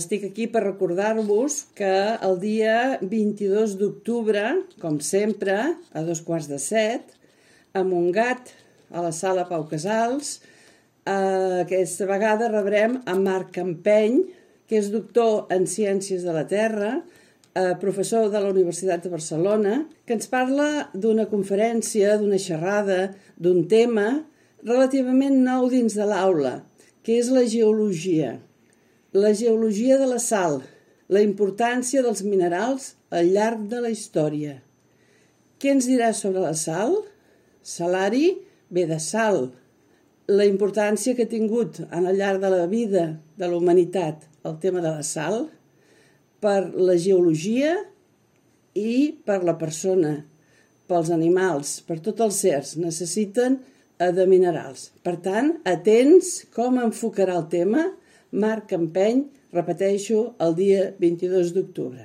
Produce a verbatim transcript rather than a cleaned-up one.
Estic aquí per recordar-vos que el dia vint-i-dos d'octubre, com sempre, a dos quarts de set, a Montgat, a la sala Pau Casals, eh, aquesta vegada rebrem a Marc Campeny, que és doctor en Ciències de la Terra, eh, professor de la Universitat de Barcelona, que ens parla d'una conferència, d'una xerrada, d'un tema relativament nou dins de l'aula, que és la geologia. La geologia de la sal, la importància dels minerals al llarg de la història. Què ens dirà sobre la sal? Salari ve de sal. La importància que ha tingut al llarg de la vida de la humanitat el tema de la sal per la geologia i per la persona, pels animals, per tots els certs, necessiten de minerals. Per tant, atents com enfocarà el tema Marc Campeny, repeteixo, el dia vint-i-dos d'octubre.